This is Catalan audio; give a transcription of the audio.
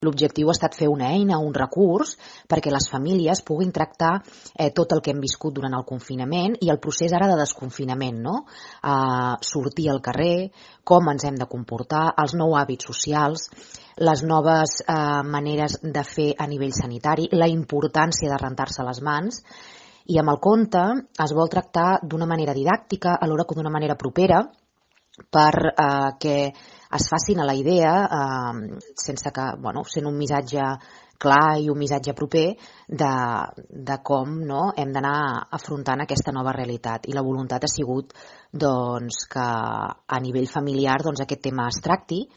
L'objectiu ha estat fer una eina, un recurs, perquè les famílies puguin tractar tot el que hem viscut durant el confinament i el procés ara de desconfinament, no? Sortir al carrer, com ens hem de comportar, els nous hàbits socials, les noves maneres de fer a nivell sanitari, la importància de rentar-se les mans, i amb el conte es vol tractar d'una manera didàctica, alhora que d'una manera propera, per que es facin a la idea, sense que, sent un missatge clar i un missatge proper de com hem d'anar afrontant aquesta nova realitat. I la voluntat ha sigut que a nivell familiar aquest tema es tracti